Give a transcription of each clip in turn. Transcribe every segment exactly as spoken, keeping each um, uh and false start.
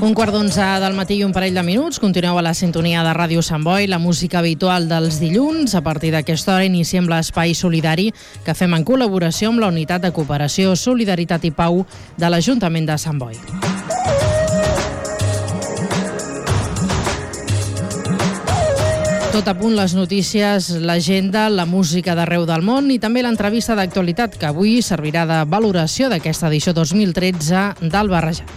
Un quart d'onze del matí i un parell de minuts. Continueu a la sintonia de Ràdio Sant Boi, la música habitual dels dilluns. A partir d'aquesta hora iniciem l'espai solidari que fem en col·laboració amb la Unitat de Cooperació, Solidaritat i Pau de l'Ajuntament de Sant Boi. Tot a punt, les notícies, l'agenda, la música d'arreu del món i també l'entrevista d'actualitat que avui servirà de valoració d'aquesta edició dos mil tretze del Barrejant.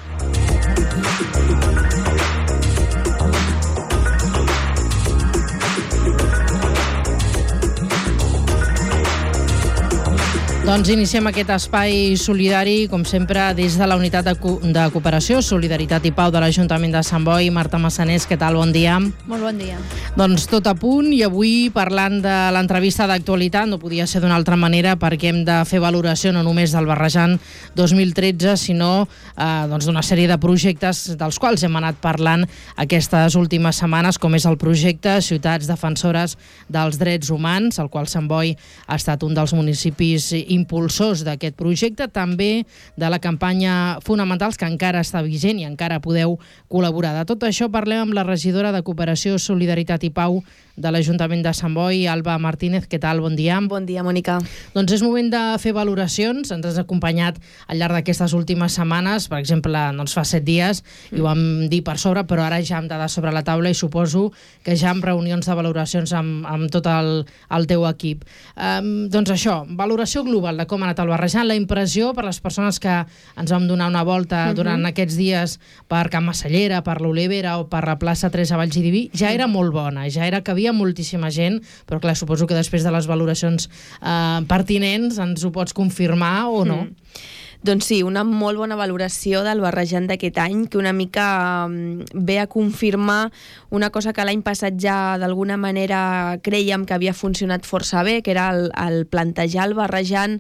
Doncs iniciem aquest espai solidari, com sempre, des de la Unitat de, Co de Cooperació, Solidaritat i Pau de l'Ajuntament de Sant Boi. Marta Massanés, què tal? Bon dia. Molt bon dia. Doncs tot a punt, i avui parlant de l'entrevista d'actualitat, no podia ser d'una altra manera perquè hem de fer valoració no només del Barrejant dos mil tretze, sinó eh, doncs d'una sèrie de projectes dels quals hem anat parlant aquestes últimes setmanes, com és el projecte Ciutats Defensores dels Drets Humans, el qual Sant Boi ha estat un dels municipis impulsors d'aquest projecte, també de la campanya Fonamentals, que encara està vigent i encara podeu col·laborar. De tot això parlem amb la regidora de Cooperació, Solidaritat i Pau de l'Ajuntament de Sant Boi, Alba Martínez. Què tal? Bon dia. Bon dia, Mònica. Doncs és moment de fer valoracions. Ens has acompanyat al llarg d'aquestes últimes setmanes. Per exemple, doncs fa set dies, mm. i ho vam dir per sobre, però ara ja amb dades sobre la taula i suposo que ja amb reunions de valoracions amb, amb tot el, el teu equip. Um, doncs això, valoració global de com ha anat el Barrejant, la impressió per les persones que ens vam donar una volta mm-hmm. durant aquests dies per Can Massallera, per l'Olivera o per la plaça Teresa Vallgidiví, ja era molt bona, ja era que havia moltíssima gent, però clar, suposo que després de les valoracions eh, pertinents ens ho pots confirmar o no? Mm. Doncs sí, una molt bona valoració del Barrejant d'aquest any, que una mica ve a confirmar una cosa que l'any passat ja d'alguna manera creiem que havia funcionat força bé, que era el, el plantejar el Barrejant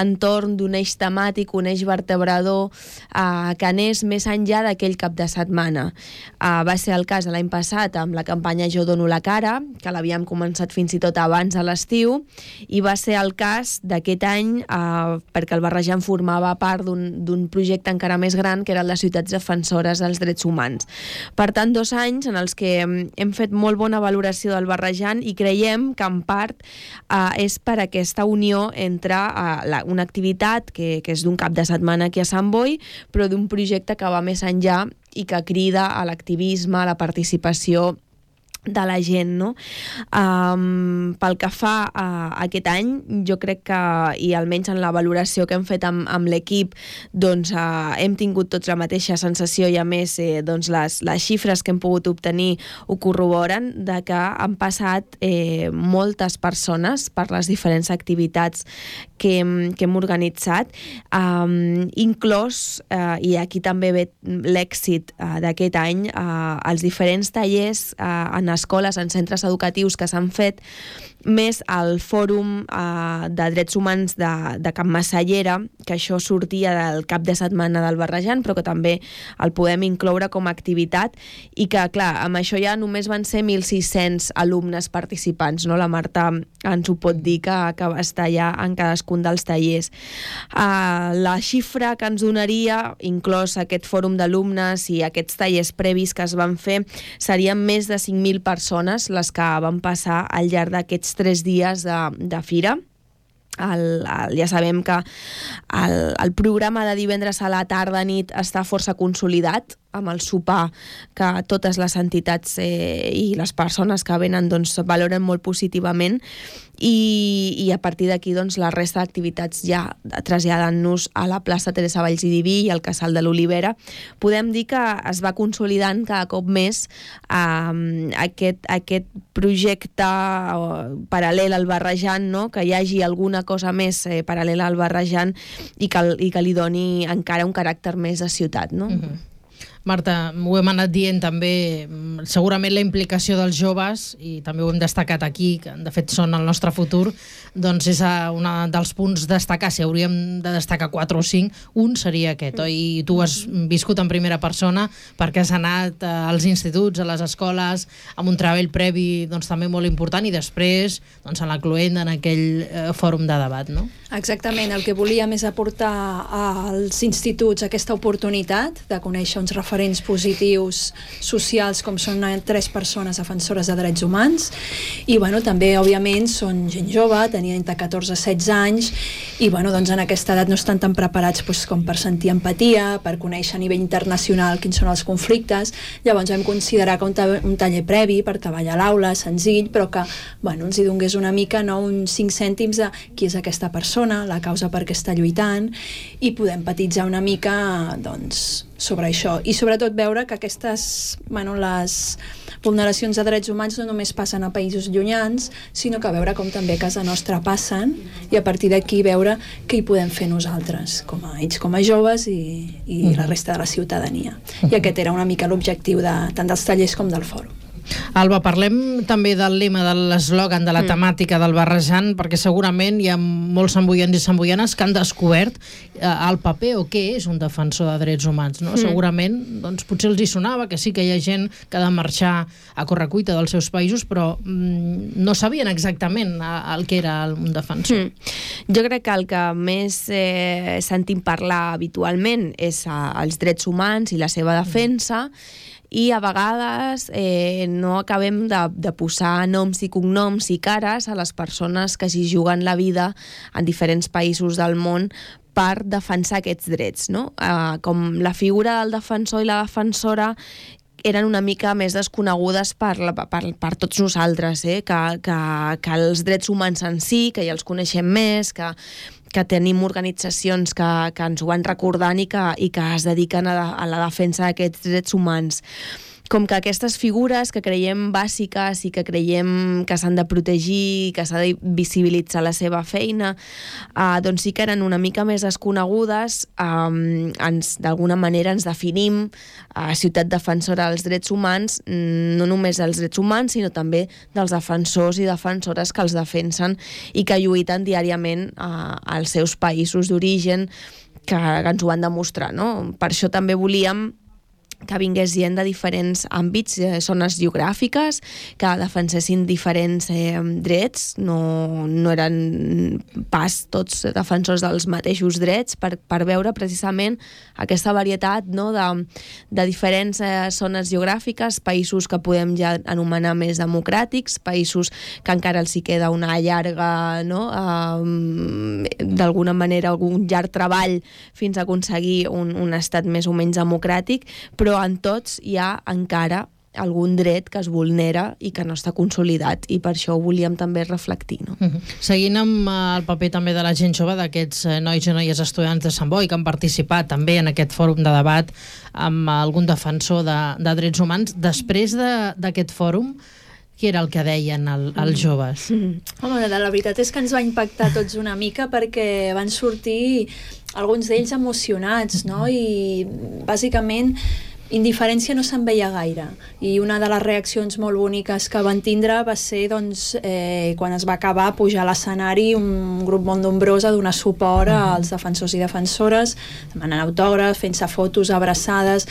entorn d'un eix temàtic, un eix vertebrador eh, que anés més enllà d'aquell cap de setmana. Eh, va ser el cas l'any passat amb la campanya Jo dono la cara, que l'havíem començat fins i tot abans de l'estiu, i va ser el cas d'aquest any eh, perquè el Barrejant formava part d'un projecte encara més gran, que era el de Ciutats Defensores dels Drets Humans. Per tant, dos anys en els que hem fet molt bona valoració del Barrejant i creiem que en part eh, és per aquesta unió entre eh, la, una activitat que, que és d'un cap de setmana aquí a Sant Boi, però d'un projecte que va més enllà i que crida a l'activisme, a la participació de la gent, no? Um, pel que fa a aquest any, jo crec que, i almenys en la valoració que hem fet amb, amb l'equip, doncs uh, hem tingut tots la mateixa sensació i a més eh, doncs les, les xifres que hem pogut obtenir ho corroboren, de que han passat eh, moltes persones per les diferents activitats que hem, que hem organitzat, um, inclòs, uh, i aquí també ve l'èxit uh, d'aquest any, uh, els diferents tallers uh, en escoles, en centres educatius que s'han fet, més al Fòrum eh, de Drets Humans de, de Can Massallera, que això sortia del cap de setmana del Barrejant, però que també el podem incloure com a activitat, i que, clar, amb això ja només van ser mil sis-cents alumnes participants, no? La Marta ens ho pot dir, que, que va estar ja en cadascun dels tallers. Uh, la xifra que ens donaria, inclòs aquest fòrum d'alumnes i aquests tallers previs que es van fer, serien més de cinc mil persones les que van passar al llarg d'aquests tres dies de, de fira. El, el, ja sabem que el, el programa de divendres a la tarda nit està força consolidat, amb el sopar que totes les entitats eh, i les persones que venen doncs, valoren molt positivament, i, i a partir d'aquí doncs, la resta d'activitats ja traslladant-nos a la plaça Teresa Vallgidiví i al Casal de l'Olivera, podem dir que es va consolidant cada cop més eh, aquest, aquest projecte eh, paral·lel al Barrejant, no? Que hi hagi alguna cosa més eh, paral·lela al Barrejant i que, i que li doni encara un caràcter més de ciutat, no? Mm-hmm. Marta, ho hem anat dient també, segurament la implicació dels joves, i també ho hem destacat aquí, que de fet són el nostre futur, doncs és un dels punts destacar. Si hauríem de destacar quatre o cinc, un seria aquest, oi? I tu has viscut en primera persona perquè has anat als instituts, a les escoles, amb un treball previ doncs, també molt important, i després doncs, en la cluenda, en aquell eh, fòrum de debat, no? Exactament, el que volíem és aportar als instituts aquesta oportunitat de conèixer uns referents referents positius socials com són tres persones defensores de drets humans i bueno, també òbviament són gent jove, tenien entre catorze i setze anys i bueno, doncs en aquesta edat no estan tan preparats doncs, com per sentir empatia, per conèixer a nivell internacional quins són els conflictes. Llavors vam considerar que un, ta un taller previ per treballar a l'aula, senzill, però que bueno, ens hi donés una mica, no, uns cinc cèntims de qui és aquesta persona, la causa per què està lluitant i poder empatitzar una mica doncs, sobre això. I sobretot veure que aquestes, bueno, les vulneracions de drets humans no només passen a països llunyans, sinó que veure com també a casa nostra passen i a partir d'aquí veure què hi podem fer nosaltres, com a ells com a joves i, i la resta de la ciutadania. I aquest era una mica l'objectiu de, tant dels tallers com del fòrum. Alba, parlem també del lema, de l'eslògan, de la temàtica del Barrejant, perquè segurament hi ha molts samboians i samboianes que han descobert eh, el paper o què és un defensor de drets humans, no? Mm. Segurament, doncs, potser els hi sonava que sí que hi ha gent que ha de marxar a correcuita dels seus països, però mm, no sabien exactament el que era un defensor. Mm. Jo crec que el que més eh, sentim parlar habitualment és eh, els drets humans i la seva defensa, mm. i a vegades eh, no acabem de, de posar noms i cognoms i cares a les persones que s'hi juguen la vida en diferents països del món per defensar aquests drets, no? Eh, com la figura del defensor i la defensora eren una mica més desconegudes per, la, per, per tots nosaltres, eh? que, que, que els drets humans en si, que ja els coneixem més, que, que tenim organitzacions que, que ens ho van recordant i que, i que es dediquen a, a la defensa d'aquests drets humans. Com que aquestes figures que creiem bàsiques i que creiem que s'han de protegir, que s'ha de visibilitzar la seva feina, eh, doncs sí que eren una mica més desconegudes, eh, ens, d'alguna manera ens definim a eh, ciutat defensora dels drets humans, no només dels drets humans, sinó també dels defensors i defensores que els defensen i que lluiten diàriament eh, als seus països d'origen, que, que ens ho van demostrar, no? Per això també volíem que vingués gent de diferents àmbits, eh, zones geogràfiques, que defensessin diferents eh, drets, no, no eren pas tots defensors dels mateixos drets, per, per veure precisament aquesta varietat, no, de, de diferents eh, zones geogràfiques, països que podem ja anomenar més democràtics, països que encara els hi queda una llarga, no, eh, d'alguna manera algun llarg treball fins a aconseguir un, un estat més o menys democràtic, però en tots hi ha encara algun dret que es vulnera i que no està consolidat, i per això ho volíem també reflectir, no? Uh-huh. Seguint amb el paper també de la gent jove, d'aquests nois i noies estudiants de Sant Boi que han participat també en aquest fòrum de debat amb algun defensor de, de drets humans, després d'aquest fòrum, què era el que deien el, els joves? Mm. Home, la veritat és que ens va impactar tots una mica perquè van sortir alguns d'ells emocionats, no? I bàsicament indiferència no se'n veia gaire, i una de les reaccions molt boniques que van tindre va ser doncs, eh, quan es va acabar pujar a l'escenari un grup molt nombrós a donar suport als defensors i defensores, demanant autògrafs, fent-se fotos, abraçades.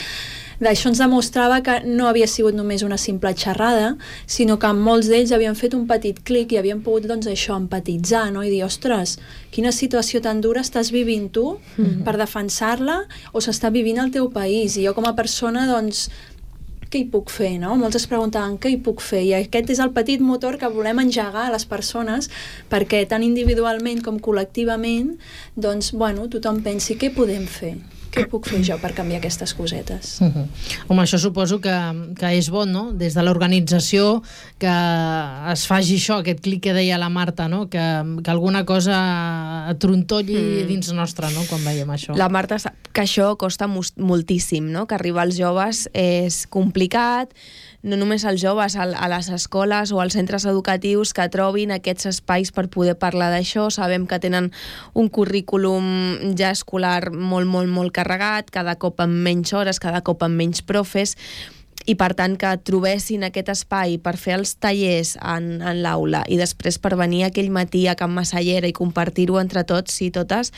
D'això ens demostrava que no havia sigut només una simple xerrada, sinó que molts d'ells havien fet un petit clic i havien pogut, doncs, això, empatitzar, no? I dir, ostres, quina situació tan dura estàs vivint tu mm-hmm. per defensar-la, o s'està vivint al teu país, i jo com a persona, doncs, què hi puc fer, no? Molts es preguntaven què hi puc fer, i aquest és el petit motor que volem engegar a les persones perquè tant individualment com col·lectivament, doncs, bueno, tothom pensi què podem fer. Què puc fer jo per canviar aquestes cosetes? Uh-huh. Home, això suposo que, que és bo, no? Des de l'organització, que es faci això, aquest clic que deia la Marta, no? Que, que alguna cosa trontolli mm. dins nostre, no? Quan veiem això. La Marta sap que això costa moltíssim, no? Que arribar als joves és complicat, no només als joves, a les escoles o als centres educatius que trobin aquests espais per poder parlar d'això. Sabem que tenen un currículum ja escolar molt, molt, molt carregat, cada cop amb menys hores, cada cop amb menys profes, i per tant que trobessin aquest espai per fer els tallers en, en l'aula i després per venir aquell matí a Can Massallera i compartir-ho entre tots i totes,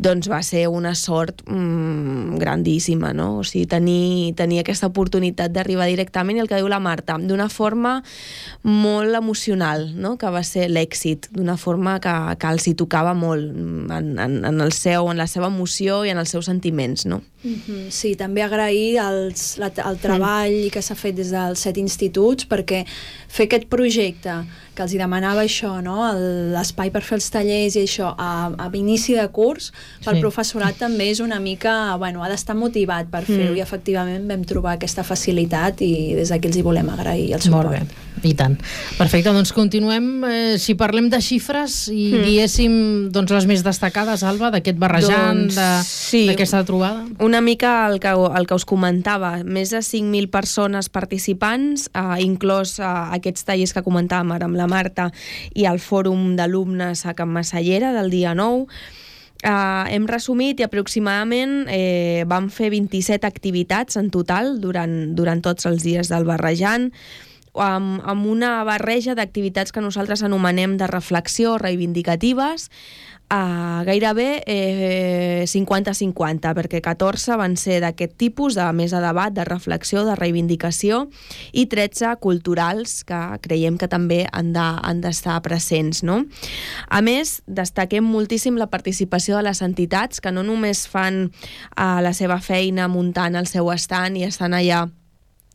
doncs va ser una sort mmm, grandíssima, no? O sigui, tenir, tenir aquesta oportunitat d'arribar directament, i el que diu la Marta, d'una forma molt emocional, no? Que va ser l'èxit, d'una forma que, que els hi tocava molt en, en, en, el seu, en la seva emoció i en els seus sentiments, no? Mm-hmm. Sí, també agrair els, la, el treball mm. que s'ha fet des dels set instituts, perquè fer aquest projecte que els hi demanava això, no? L'espai per fer els tallers i això a, a inici de curs, pel sí. professorat també és una mica, bueno, ha d'estar motivat per fer-ho, mm. i efectivament vam trobar aquesta facilitat i des d'aquí els hi volem agrair el suport. Molt bé, i tant. Perfecte, doncs continuem, eh, si parlem de xifres i mm. diguéssim doncs, les més destacades, Alba, d'aquest barrejant, doncs, sí. d'aquesta trobada. Una mica el que, el que us comentava, més de cinc mil persones participants, eh, inclòs eh, aquests tallers que comentàvem ara amb la Marta i el fòrum d'alumnes a Can Massallera del dia nou. Uh, hem resumit i aproximadament eh, vam fer vint-i-set activitats en total durant, durant tots els dies del barrejant, amb, amb una barreja d'activitats que nosaltres anomenem de reflexió reivindicatives, Uh, gairebé eh, cinquanta cinquanta, perquè catorze van ser d'aquest tipus, de més de debat, de reflexió, de reivindicació, i tretze culturals, que creiem que també han de, han d'estar presents, no? A més, destaquem moltíssim la participació de les entitats, que no només fan uh, la seva feina muntant el seu estand i estan allà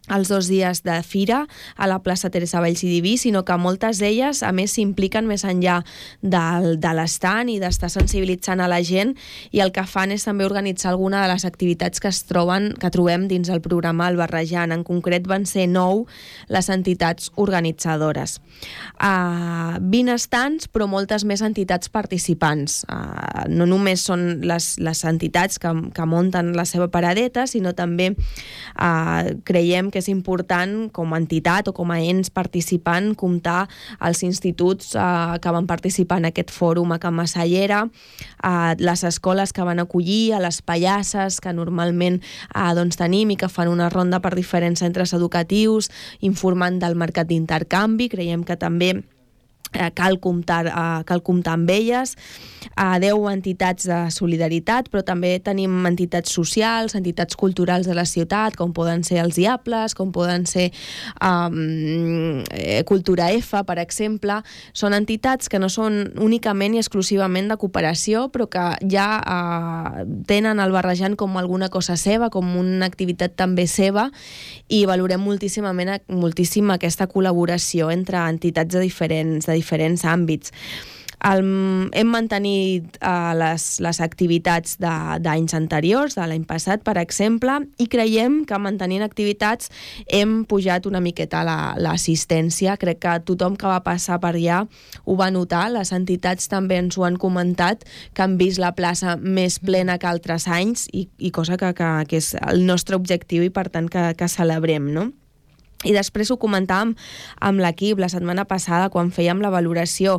els dos dies de fira a la plaça Teresa Valls i Diví, sinó que moltes d'elles, a més, s'impliquen més enllà del, de l'estant i d'estar sensibilitzant a la gent, i el que fan és també organitzar alguna de les activitats que es troben, que trobem dins el programa El Barrejant. En concret van ser nou les entitats organitzadores. Uh, vint estants, però moltes més entitats participants. Uh, no només són les, les entitats que, que munten la seva paradeta, sinó també uh, creiem que que és important com a entitat o com a ens participant comptar els instituts eh, que van participar en aquest fòrum a Can Massallera, eh, les escoles que van acollir, a les pallasses que normalment eh, doncs tenim i que fan una ronda per diferents centres educatius informant del mercat d'intercanvi. Creiem que també Eh, cal, comptar, eh, cal comptar amb elles, a deu entitats de solidaritat, però també tenim entitats socials, entitats culturals de la ciutat, com poden ser els Diables, com poden ser um, eh, Cultura F, per exemple. Són entitats que no són únicament i exclusivament de cooperació, però que ja eh, tenen el barrejant com alguna cosa seva, com una activitat també seva, i valorem moltíssimament, moltíssim aquesta col·laboració entre entitats de diferents, de diferents àmbits. El, hem mantenit uh, les, les activitats d'anys anteriors, de l'any passat, per exemple, i creiem que mantenint activitats hem pujat una miqueta l'assistència. Crec que tothom que va passar per allà ho va notar. Les entitats també ens ho han comentat, que han vist la plaça més plena que altres anys, i, i cosa que, que, que és el nostre objectiu i per tant que, que celebrem, no? I després ho comentàvem amb l'equip la setmana passada quan fèiem la valoració.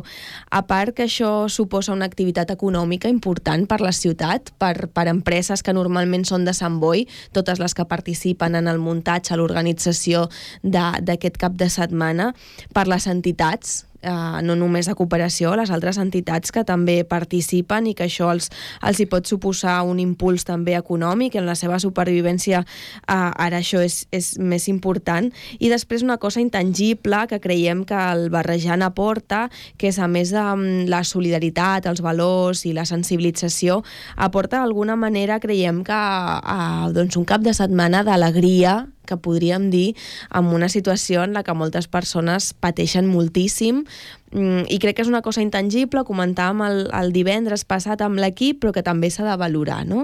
A part que això suposa una activitat econòmica important per la ciutat, per, per empreses que normalment són de Sant Boi, totes les que participen en el muntatge, a l'organització d'aquest cap de setmana, per les entitats, Uh, no només de cooperació, les altres entitats que també participen i que això els, els hi pot suposar un impuls també econòmic en la seva supervivència. Uh, ara això és, és més important. I després una cosa intangible que creiem que el barrejant aporta, que és a més de la solidaritat, els valors i la sensibilització, aporta d'alguna manera, creiem que uh, doncs un cap de setmana d'alegria, que podríem dir, en una situació en la que moltes persones pateixen moltíssim, i crec que és una cosa intangible, comentàvem el, el divendres passat amb l'equip, però que també s'ha de valorar, no?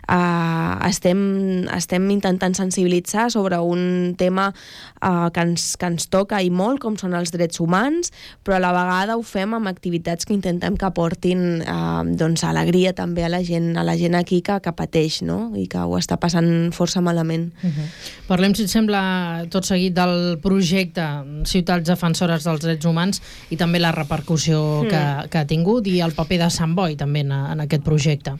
Uh, estem, estem intentant sensibilitzar sobre un tema uh, que, ens, que ens toca i molt, com són els drets humans, però a la vegada ho fem amb activitats que intentem que aportin uh, doncs, alegria també a la gent, a la gent aquí que, que pateix, no? I que ho està passant força malament. Uh-huh. Parlem Parlem, si et sembla, tot seguit del projecte Ciutats Defensores dels Drets Humans i també la repercussió mm. que, que ha tingut i el paper de Sant Boi també en, en aquest projecte.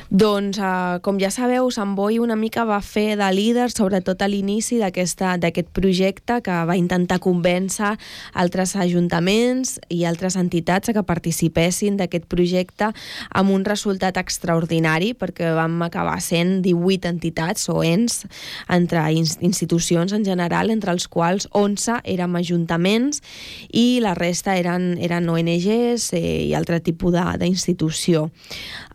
Doncs, uh, com ja sabeu, Sant Boi una mica va fer de líder, sobretot a l'inici d'aquest projecte, que va intentar convèncer altres ajuntaments i altres entitats a que participessin d'aquest projecte amb un resultat extraordinari, perquè vam acabar sent divuit entitats o ens entre institucions en general, entre els quals onze érem ajuntaments i la resta eren, eren O N Ges eh, i altre tipus d'institució.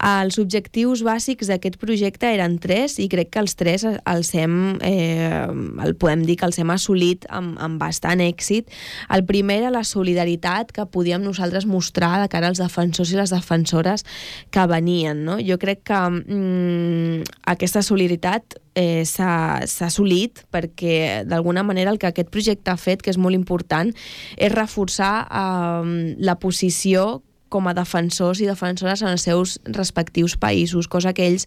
Els objectius bàsics d'aquest projecte eren tres i crec que els tres els hem, eh, el podem dir que els hem assolit amb, amb bastant èxit. El primer era la solidaritat que podíem nosaltres mostrar de cara als defensors i les defensores que venien, no? Jo crec que mm, aquesta solidaritat eh, s'ha assolit perquè d'alguna manera el que aquest projecte ha fet, que és molt important, és reforçar eh, la posició com a defensors i defensores en els seus respectius països, cosa que ells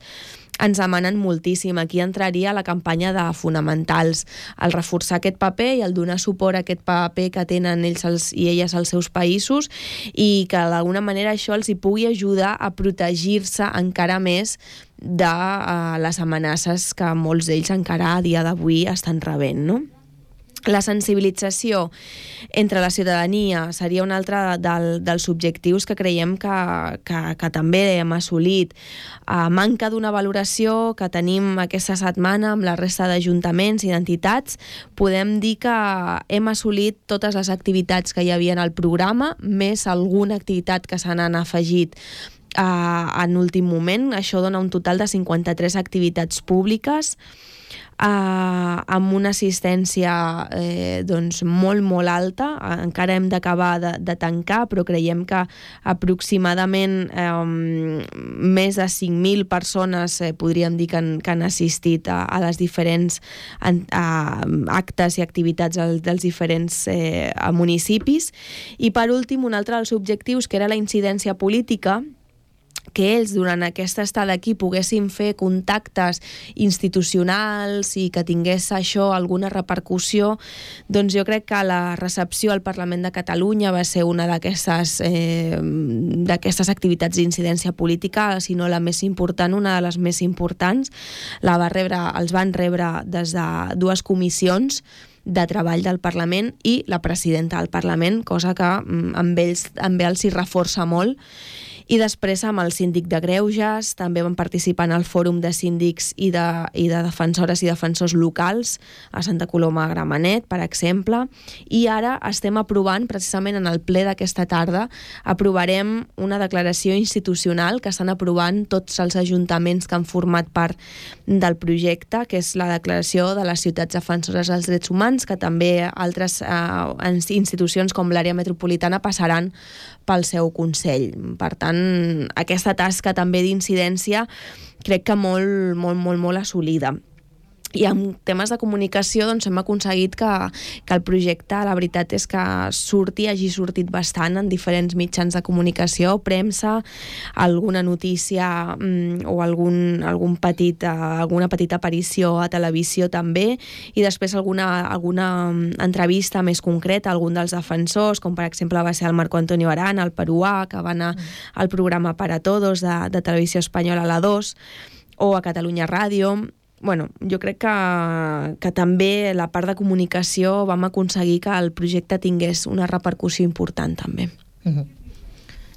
ens demanen moltíssim. Aquí entraria la campanya de fonamentals, el reforçar aquest paper i el donar suport a aquest paper que tenen ells els, i elles als seus països i que d'alguna manera això els hi pugui ajudar a protegir-se encara més de uh, les amenaces que molts d'ells encara a dia d'avui estan rebent, no? La sensibilització entre la ciutadania seria un altre del, dels objectius que creiem que, que, que també hem assolit. A manca d'una valoració que tenim aquesta setmana amb la resta d'ajuntaments i d'entitats, podem dir que hem assolit totes les activitats que hi havia en el programa, més alguna activitat que se n'han afegit uh, en últim moment. Això dona un total de cinquanta-tres activitats públiques, Uh, amb una assistència eh, doncs molt molt alta. Uh, encara hem d'acabar de, de tancar, però creiem que aproximadament um, més de cinc mil persones eh, podríem dir que han, que han assistit a, a les diferents en, a, actes i activitats al, dels diferents eh, municipis. I per últim, un altre dels objectius, que era la incidència política, que ells durant aquesta estada aquí poguessin fer contactes institucionals i que tingués això alguna repercussió, doncs jo crec que la recepció al Parlament de Catalunya va ser una d'aquestes eh, d'aquestes activitats d'incidència política, si no la més important, una de les més importants. La va rebre, els van rebre des de dues comissions de treball del Parlament i la presidenta del Parlament, cosa que amb ells, amb ells s'hi reforça molt. I després amb el síndic de Greuges, també van participar en el fòrum de síndics i de, i de defensores i defensors locals a Santa Coloma de Gramenet, per exemple, i ara estem aprovant, precisament en el ple d'aquesta tarda, aprovarem una declaració institucional que estan aprovant tots els ajuntaments que han format part del projecte, que és la declaració de les ciutats defensores dels drets humans, que també altres eh, institucions com l'àrea metropolitana passaran pel seu Consell. Per tant, aquesta tasca també d'incidència crec que molt, molt, molt, molt assolida. I en temes de comunicació doncs hem aconseguit que, que el projecte, la veritat és que surti, hagi sortit bastant en diferents mitjans de comunicació, premsa, alguna notícia mm, o algun, algun petit, alguna petita aparició a televisió també, i després alguna, alguna entrevista més concreta a algun dels defensors, com per exemple va ser el Marco Antonio Arana, el peruà, que va anar al programa Para Todos de, de Televisió Espanyola a la dos, o a Catalunya Ràdio. Bueno, jo crec que, que també la part de comunicació vam aconseguir que el projecte tingués una repercussió important també. Uh-huh.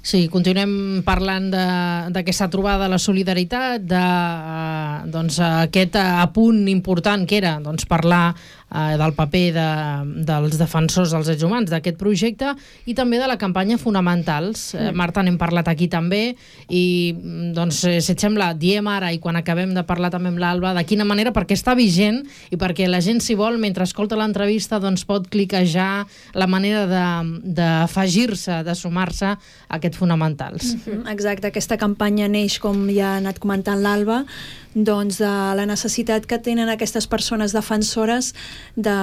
Sí, continuem parlant d'aquesta trobada, la solidaritat, de uh, doncs, aquest apunt important que era doncs, parlar uh, del paper de, dels defensors dels drets humans d'aquest projecte i també de la campanya Fonamentals. Mm. Uh, Marta, n'hem parlat aquí també i doncs, si et sembla, diem ara i quan acabem de parlar també amb l'Alba de quina manera, perquè està vigent i perquè la gent, si vol, mentre escolta l'entrevista doncs pot cliquejar la manera d'afegir-se, de, de sumar-se a aquest Fonamentals. Mm-hmm. Exacte, aquesta campanya neix, com ja ha anat comentant l'Alba, doncs de la necessitat que tenen aquestes persones defensores de,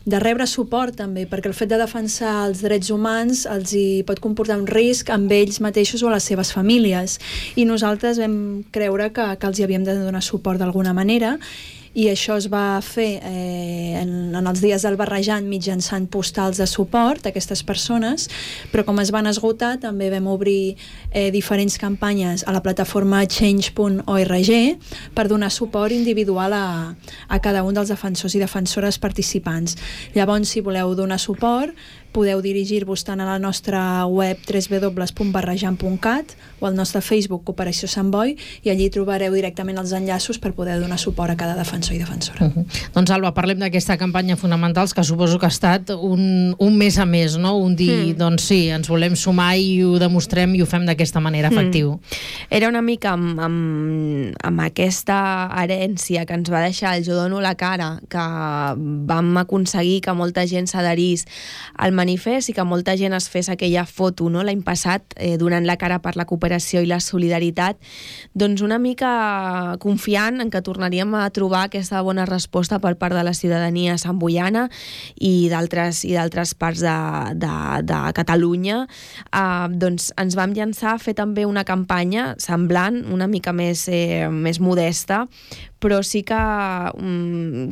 de rebre suport també, perquè el fet de defensar els drets humans els hi pot comportar un risc amb ells mateixos o a les seves famílies, i nosaltres vam creure que, que els hi havíem de donar suport d'alguna manera. i això es va fer eh, en, en els dies del Barrejant mitjançant postals de suport a aquestes persones, però com es van esgotar també vam obrir eh, diferents campanyes a la plataforma change punt org per donar suport individual a, a cada un dels defensors i defensores participants. Llavors, si voleu donar suport, podeu dirigir-vos tant a la nostra web w w w punt barrejant punt cat o al nostre Facebook Cooperació Sant Boi, i allí trobareu directament els enllaços per poder donar suport a cada defensor i defensora. Uh-huh. Doncs Alba, parlem d'aquesta campanya Fonamentals, que suposo que ha estat un, un mes a més, no? Un dir, mm. doncs sí, ens volem sumar i ho demostrem i ho fem d'aquesta manera efectiu. Mm. Era una mica amb, amb, amb aquesta herència que ens va deixar el Jo dono la cara, que vam aconseguir que molta gent s'adherís al manifest i que molta gent es fes aquella foto, no?, l'any passat, eh, donant la cara per la cooperació i la solidaritat, doncs una mica confiant en que tornaríem a trobar aquesta bona resposta per part de la ciutadania santboiana i d'altres i d'altres parts de, de, de Catalunya. Eh, doncs ens vam llançar a fer també una campanya semblant, una mica més, eh, més modesta, però sí que,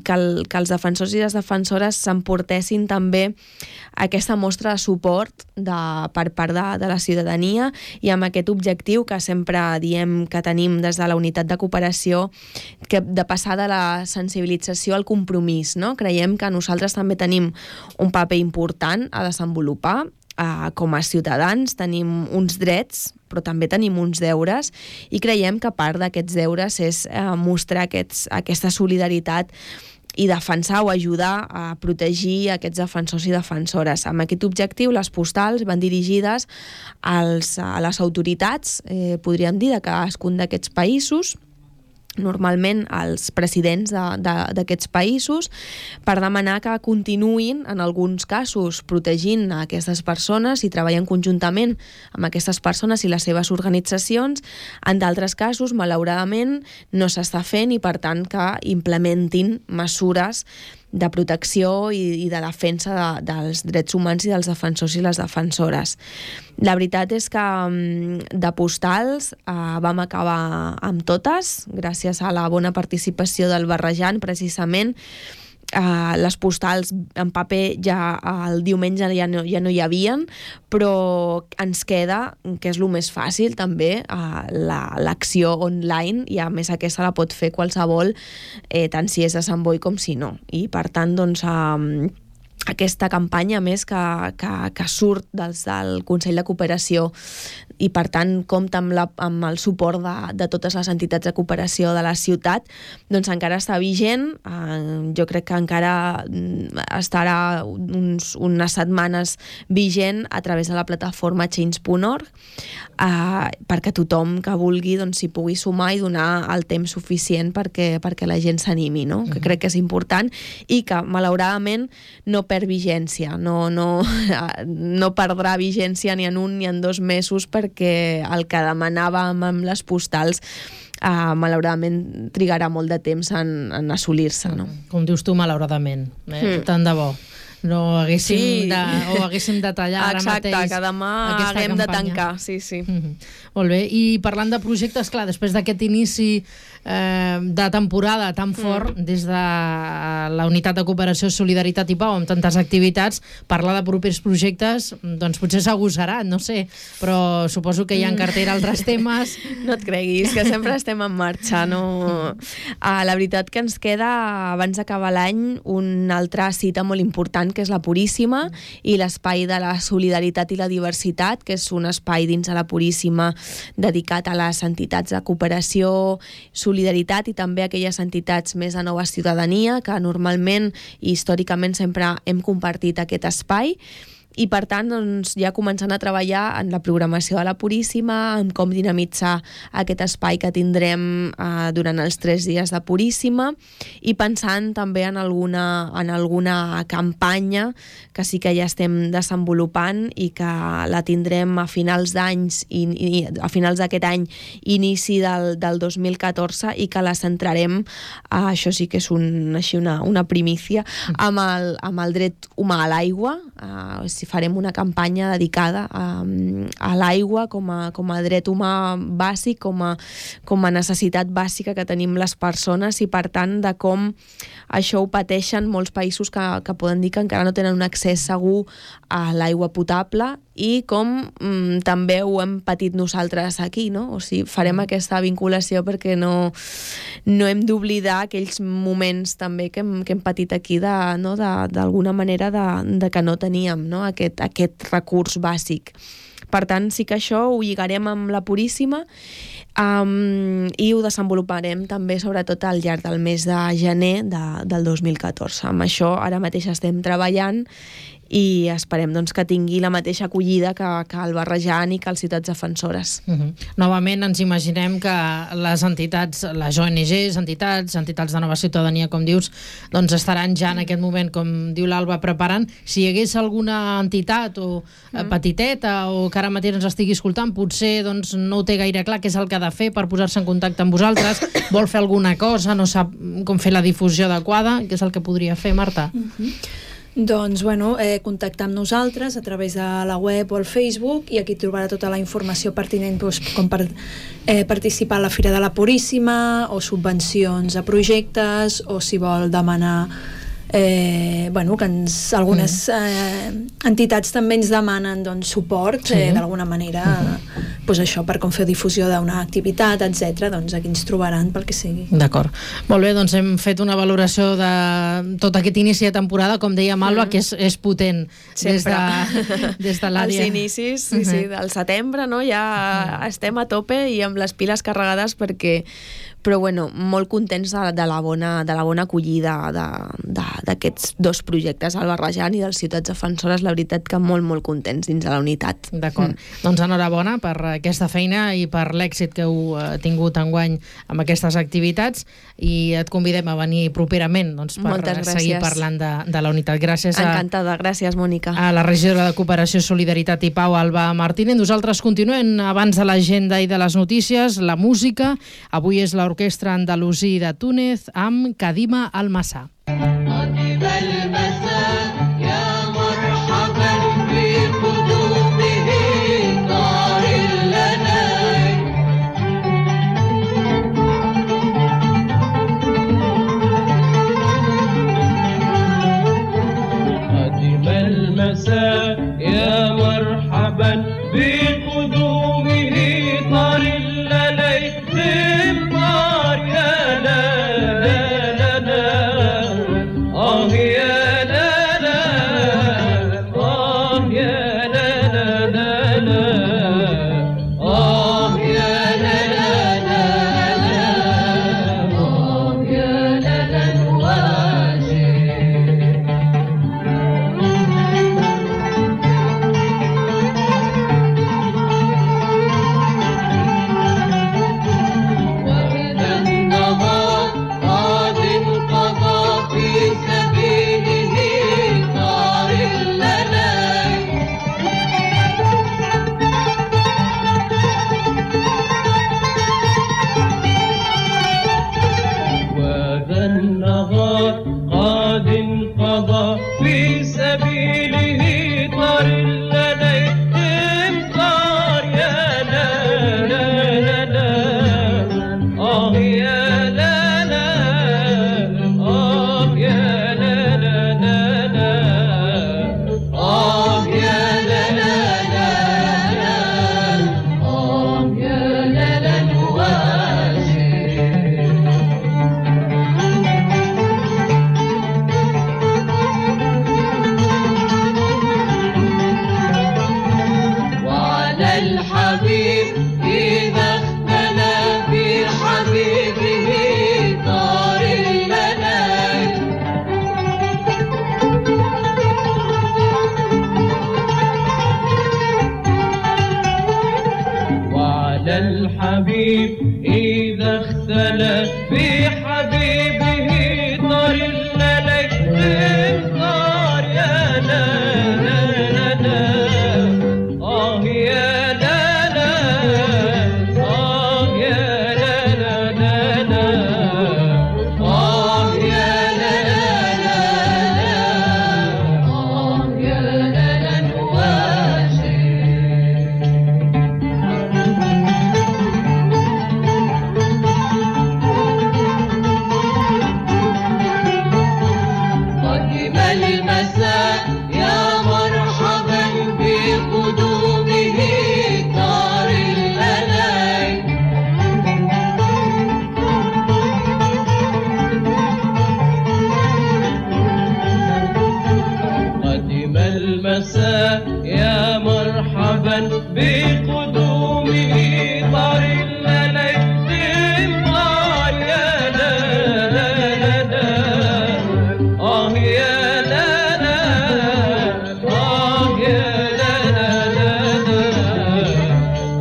que, el, que els defensors i les defensores s'emportessin també aquesta mostra de suport de, per part de, de la ciutadania, i amb aquest objectiu que sempre diem que tenim des de la unitat de cooperació, que de passar de la sensibilització al compromís, no? Creiem que nosaltres també tenim un paper important a desenvolupar. Uh, com a ciutadans tenim uns drets, però també tenim uns deures, i creiem que part d'aquests deures és uh, mostrar aquests, aquesta solidaritat i defensar o ajudar a protegir aquests defensors i defensores. Amb aquest objectiu, les postals van dirigides als, a les autoritats, eh, podríem dir, de cadascun d'aquests països, normalment als presidents d'aquests països, per demanar que continuïn, en alguns casos, protegint a aquestes persones i treballant conjuntament amb aquestes persones i les seves organitzacions. En d'altres casos, malauradament, no s'està fent, i per tant que implementin mesures de protecció i, i de defensa de, dels drets humans i dels defensors i les defensores. La veritat és que de postals eh, vam acabar amb totes, gràcies a la bona participació del Barrejant, precisament. Uh, les postals en paper ja el diumenge ja no, ja no hi havien, però ens queda, que és el més fàcil també, uh, l'acció online, i a més aquesta la pot fer qualsevol, eh, tant si és de Sant Boi com si no. I per tant, doncs, uh, aquesta campanya, més que, que, que surt dels, del Consell de Cooperació, i per tant compta amb, la, amb el suport de, de totes les entitats de cooperació de la ciutat, doncs encara està vigent. Eh, jo crec que encara estarà uns, unes setmanes vigent a través de la plataforma change punt org, eh, perquè tothom que vulgui doncs, s'hi pugui sumar i donar el temps suficient perquè, perquè la gent s'animi, no? Mm-hmm. Que crec que és important, i que malauradament no perd vigència, no, no, no perdrà vigència ni en un ni en dos mesos, perquè el que demanàvem amb les postals uh, malauradament trigarà molt de temps en, en assolir-se, no? Com dius tu, malauradament, eh? Mm. Tant de bo no haguéssim, sí. de, o haguéssim de tallar ara Exacte, mateix. Exacte, que demà haguem campanya. de tancar, sí, sí. Mm-hmm. Molt bé, i parlant de projectes, clar, després d'aquest inici eh, de temporada tan fort, mm. des de la Unitat de Cooperació, Solidaritat i Pau, amb tantes activitats, parlar de propers projectes, doncs potser s'agosarà, no sé, però suposo que hi ha en cartera altres temes. No et creguis, que sempre estem en marxa, no? Ah, la veritat que ens queda, abans d'acabar l'any, una altra cita molt important, que és la Puríssima, i l'espai de la solidaritat i la diversitat, que és un espai dins de la Puríssima dedicat a les entitats de cooperació, solidaritat, i també a aquelles entitats més de nova ciutadania, que normalment i històricament sempre hem compartit aquest espai. I per tant, doncs, ja començant a treballar en la programació de la Puríssima, en com dinamitzar aquest espai que tindrem eh, durant els tres dies de Puríssima, i pensant també en alguna, en alguna campanya que sí que ja estem desenvolupant i que la tindrem a finals d'anys, i, i a finals d'aquest any, inici del, del dos mil catorze, i que la centrarem, eh, això sí que és un, així una, una primícia, amb el, amb el dret humà a l'aigua, eh, si farem una campanya dedicada a, a l'aigua com a, com a dret humà bàsic, com a, com a necessitat bàsica que tenim les persones, i per tant de com això ho pateixen molts països que, que poden dir que encara no tenen un accés segur a l'aigua potable, i com mm, també ho hem patit nosaltres aquí, no? O sigui, farem aquesta vinculació perquè no, no hem d'oblidar aquells moments també que hem, que hem patit aquí de, no? de, d'alguna manera de, de que no teníem, no? Aquest, aquest recurs bàsic. Per tant, sí que això ho lligarem amb la Puríssima, um, i ho desenvoluparem també sobretot al llarg del mes de gener de, del dos mil catorze. Amb això ara mateix estem treballant i esperem doncs, que tingui la mateixa acollida que, que el Barrejan i que els ciutats defensores. Uh-huh. Novament ens imaginem que les entitats, les O N Ges, entitats, entitats de nova ciutadania, com dius, doncs estaran ja en aquest moment, com diu l'Alba, preparant. Si hi hagués alguna entitat o uh-huh. petiteta o que ara mateix ens estigui escoltant, potser doncs, no ho té gaire clar què és el que ha de fer per posar-se en contacte amb vosaltres, vol fer alguna cosa, no sap com fer la difusió adequada, què és el que podria fer, Marta? Uh-huh. Doncs, bueno, eh, contactar amb nosaltres a través de la web o el Facebook, i aquí trobarà tota la informació pertinent, doncs, com per eh, participar a la Fira de la Puríssima, o subvencions a projectes, o si vol demanar eh, bueno, que ens, algunes eh, entitats també ens demanen doncs, suport, sí. eh, d'alguna manera, uh-huh. pues això, per com fer difusió d'una activitat, etcètera. Doncs aquí ens trobaran pel que sigui. D'acord. Molt bé, doncs hem fet una valoració de tot aquest inici de temporada, com deia Alba, mm. que és, és potent. Sempre. Des de, des de l'àrea. Els inicis, sí, uh-huh. sí, del setembre, no? Ja uh-huh. estem a tope i amb les piles carregades perquè... Però, bueno, molt contents de, de, la, bona, de la bona acollida d'aquests dos projectes, el Barrejan i dels ciutats defensores. La veritat que molt, molt contents dins de la unitat. D'acord. Mm. Doncs enhorabona per aquesta feina i per l'èxit que heu tingut enguany amb aquestes activitats, i et convidem a venir properament doncs, per seguir parlant de, de la unitat. Gràcies a... Encantada. Gràcies, Mònica. A la regidora de Cooperació, Solidaritat i Pau, Alba Martínez. Nosaltres continuem abans de l'agenda i de les notícies, la música. Avui és la Orquestra Andalusí de Túnez amb Kadima Almassa. مرحبا بقدومه طار الليل طار يا لا لا لا لا آه يا لا لا آه يا لا لا لا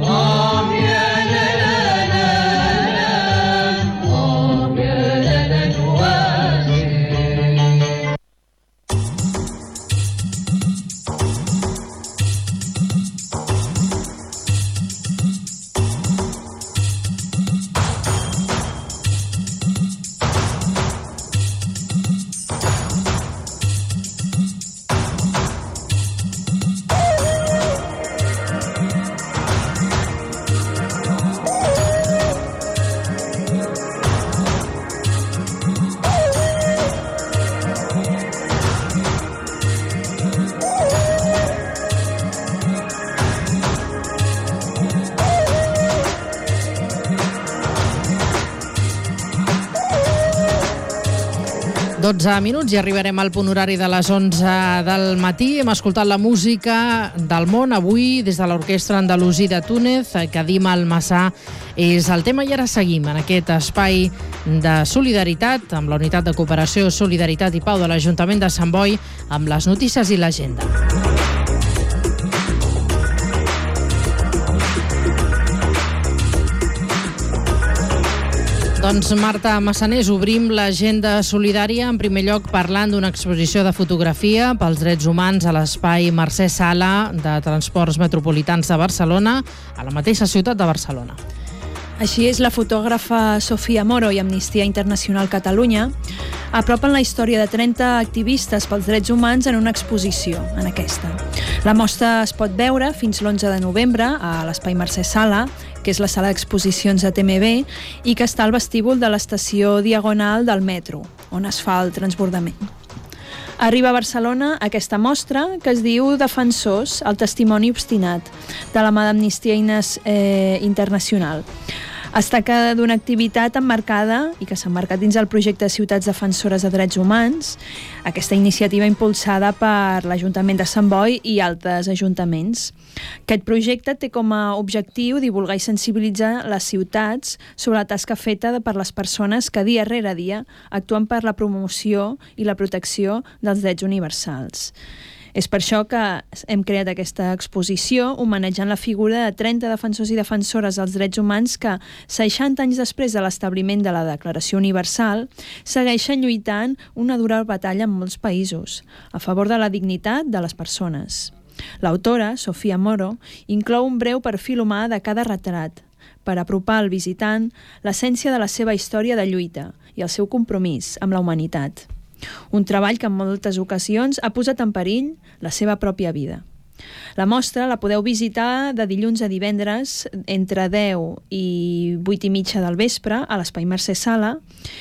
آه يا لا لا لا آه يا لا لا نواسي. dotze minuts i arribarem al punt horari de les onze del matí. Hem escoltat la música del món avui des de l'Orquestra Andalusí de Túnez. Kadim Almassà és el tema i ara seguim en aquest espai de solidaritat amb la Unitat de Cooperació, Solidaritat i Pau de l'Ajuntament de Sant Boi amb les notícies i l'agenda. Doncs Marta Massanés, obrim l'agenda solidària en primer lloc parlant d'una exposició de fotografia pels drets humans a l'espai Mercè Sala de Transports Metropolitans de Barcelona, a la mateixa ciutat de Barcelona. Així és, la fotògrafa Sofia Moro i Amnistia Internacional Catalunya apropen la història de trenta activistes pels drets humans en una exposició, en aquesta. La mostra es pot veure fins l'onze de novembre a l'Espai Mercè Sala, que és la sala d'exposicions de T M B i que està al vestíbul de l'estació Diagonal del metro, on es fa el transbordament. Arriba a Barcelona aquesta mostra que es diu Defensors, el testimoni obstinat, de la mà d'Amnistia eh, Internacional. Es tracta d'una activitat emmarcada i que s'ha emmarcat dins el projecte Ciutats Defensores de Drets Humans, aquesta iniciativa impulsada per l'Ajuntament de Sant Boi i altres ajuntaments. Aquest projecte té com a objectiu divulgar i sensibilitzar les ciutats sobre la tasca feta per les persones que dia rere dia actuen per la promoció i la protecció dels drets universals. És per això que hem creat aquesta exposició homenatjant la figura de trenta defensors i defensores dels drets humans que, seixanta anys després de l'establiment de la Declaració Universal, segueixen lluitant una dura batalla en molts països a favor de la dignitat de les persones. L'autora, Sofia Moro, inclou un breu perfil humà de cada retrat per apropar al visitant l'essència de la seva història de lluita i el seu compromís amb la humanitat. Un treball que en moltes ocasions ha posat en perill la seva pròpia vida. La mostra la podeu visitar de dilluns a divendres entre deu i vuit i mitja del vespre a l'Espai Mercè Sala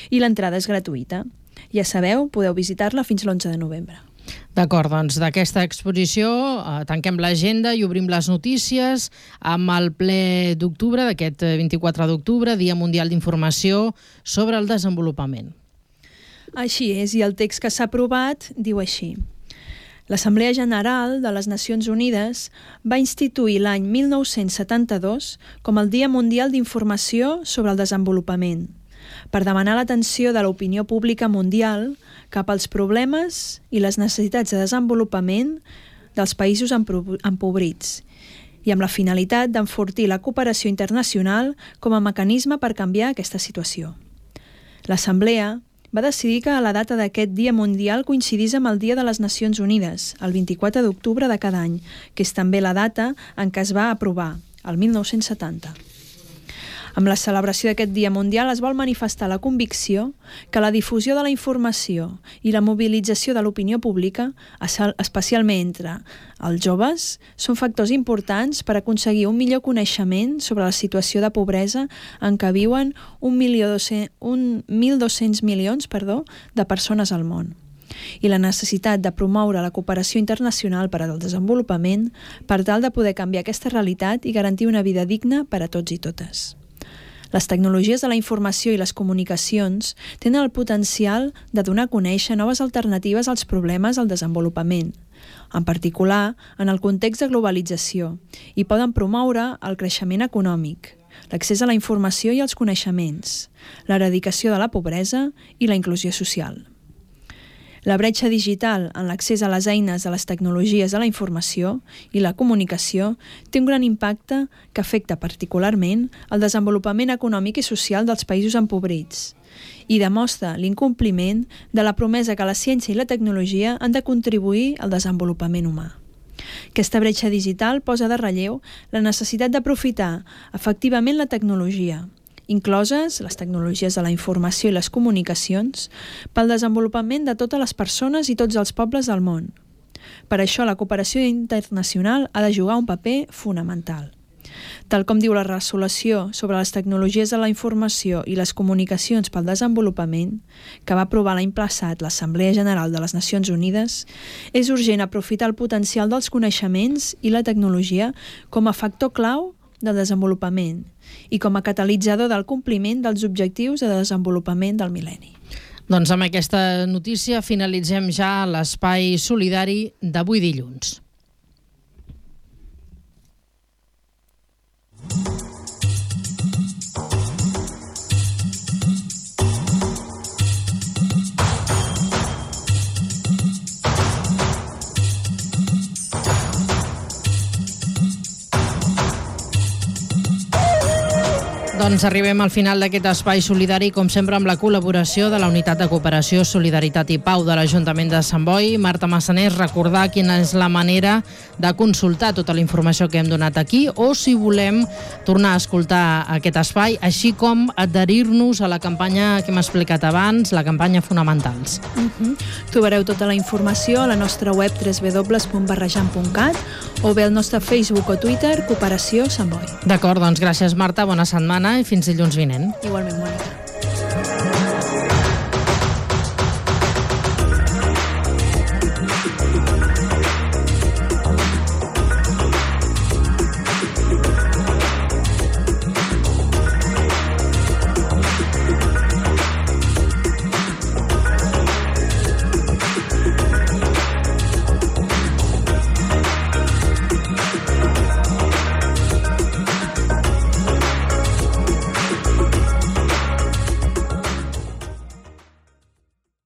i l'entrada és gratuïta. Ja sabeu, podeu visitar-la fins l'onze de novembre. D'acord, doncs d'aquesta exposició eh, tanquem l'agenda i obrim les notícies amb el ple d'octubre, d'aquest vint-i-quatre d'octubre, Dia Mundial d'Informació sobre el Desenvolupament. Així és, i el text que s'ha aprovat diu així. L'Assemblea General de les Nacions Unides va instituir l'any mil nou-cents setanta-dos com el Dia Mundial d'Informació sobre el Desenvolupament, per demanar l'atenció de l'opinió pública mundial cap als problemes i les necessitats de desenvolupament dels països empobrits i amb la finalitat d'enfortir la cooperació internacional com a mecanisme per canviar aquesta situació. L'Assemblea va decidir que la data d'aquest Dia Mundial coincidís amb el Dia de les Nacions Unides, el vint-i-quatre d'octubre de cada any, que és també la data en què es va aprovar, el mil nou-cents setanta. Amb la celebració d'aquest Dia Mundial es vol manifestar la convicció que la difusió de la informació i la mobilització de l'opinió pública, especialment entre els joves, són factors importants per aconseguir un millor coneixement sobre la situació de pobresa en què viuen un mil dos-cents milions perdó, de persones al món i la necessitat de promoure la cooperació internacional per al desenvolupament per tal de poder canviar aquesta realitat i garantir una vida digna per a tots i totes. Les tecnologies de la informació i les comunicacions tenen el potencial de donar a conèixer noves alternatives als problemes del desenvolupament, en particular en el context de globalització, i poden promoure el creixement econòmic, l'accés a la informació i als coneixements, l'eradicació de la pobresa i la inclusió social. La bretxa digital en l'accés a les eines de les tecnologies de la informació i la comunicació té un gran impacte que afecta particularment el desenvolupament econòmic i social dels països empobrits i demostra l'incompliment de la promesa que la ciència i la tecnologia han de contribuir al desenvolupament humà. Aquesta bretxa digital posa de relleu la necessitat d'aprofitar efectivament la tecnologia, incloses les tecnologies de la informació i les comunicacions, pel desenvolupament de totes les persones i tots els pobles del món. Per això la cooperació internacional ha de jugar un paper fonamental. Tal com diu la resolució sobre les tecnologies de la informació i les comunicacions pel desenvolupament, que va aprovar l'any passat l'Assemblea General de les Nacions Unides, és urgent aprofitar el potencial dels coneixements i la tecnologia com a factor clau del desenvolupament i com a catalitzador del compliment dels objectius de desenvolupament del mil·lenni. Doncs amb aquesta notícia finalitzem ja l'espai solidari d'avui dilluns. Doncs arribem al final d'aquest espai solidari, com sempre amb la col·laboració de la Unitat de Cooperació, Solidaritat i Pau de l'Ajuntament de Sant Boi. Marta Massanés, recordar quina és la manera de consultar tota la informació que hem donat aquí o si volem tornar a escoltar aquest espai, així com adherir-nos a la campanya que hem explicat abans, la campanya Fonamentals. Uh-huh. Trobareu tota la informació a la nostra web w w w punt barrejant punt cat o bé al nostre Facebook o Twitter Cooperació Sant Boi. D'acord, doncs gràcies Marta, bona setmana i fins dilluns vinent. Igualment, Mònica.